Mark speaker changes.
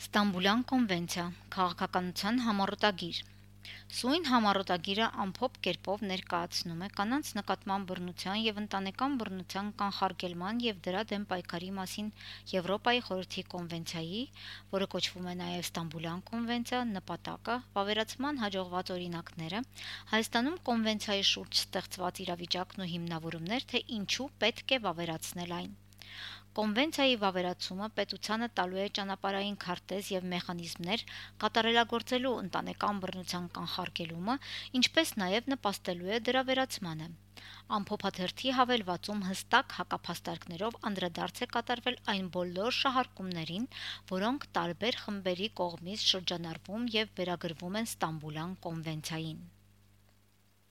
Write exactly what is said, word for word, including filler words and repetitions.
Speaker 1: Ստամբուլյան կոնվենցիա, քաղաքականության համառոտագիր։ Սույն համառոտագիրը ամփոփ կերպով ներկայացնում է կանանց նկատմամբ բռնության և ընտանեկան բռնության կանխարգելման և դրա դեմ պայքարի մասին Եվրոպայի խորհրդի կոնվենցիայի, որը կոչվում է նաև Ստամբուլյան կոնվենցիա, նպատակը, վավերացման հաջողված օրինակները, Հայաստանում կոնվենցիայի շուրջ ստեղծված իրավիճակն ու հիմնավորումներ, թե ինչու պետք է վավերացնել այն։ Կոնվենցիայի վավերացումը պետությանը տալու է ճանապարհային քարտեզ և մեխանիզմներ կատարելագործելու ընտանեկան բռնության կանխարգելումը, ինչպես նաև նպաստելու է դրա վերացմանը։ Ամփոփաթերթի հավելվածում հստակ հակափաստարկներով անդրադարձ է կատարվել այն բոլոր շահարկումներին, որոնք տարբեր խմբերի կողմից շրջանառվում և վերագրվում են Ստամբուլյան կոնվենցիային։